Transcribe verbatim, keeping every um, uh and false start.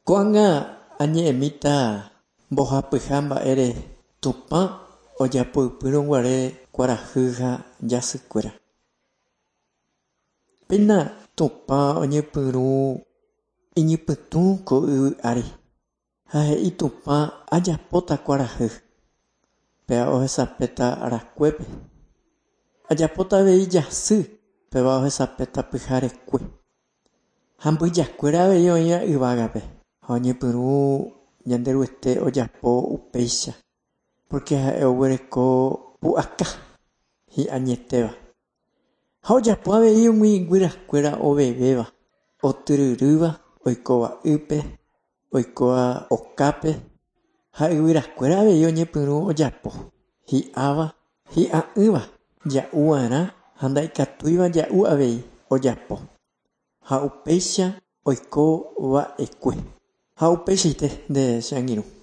Ko'ág̃a añe'ẽmíta mbohapyha mba'ére Tupã ojapoypýrõguare kuarahy ha jasykuéra. Péina Tupã oñepyrũ iñypytũ ko yvy ári ha he'i Tupã ajapóta kuarahy, péva ohesapéta arakuépe. Ajapóta avei jasy, péva ohesapéta pyharekue. Ha mbyjakuéra avei oĩva yvágape ha oñepyrũ Ñanderuete ojapo upéicha porque ha'e oguereko pu'aka hi'añetéva. Ha ojapo avei umi guyrakuéra ovevéva, otyryrýva, oikóva ýpe, oikóva okápe ha yvyrakuéra avei oñepyrũ ojapo, hi'áva, hi'a'ỹva, ja'uva'erã ha ndaikatúiva ja'u avei ojapo. Ha upéicha oikova'ekue. Ha upeichaite nde che angirũ.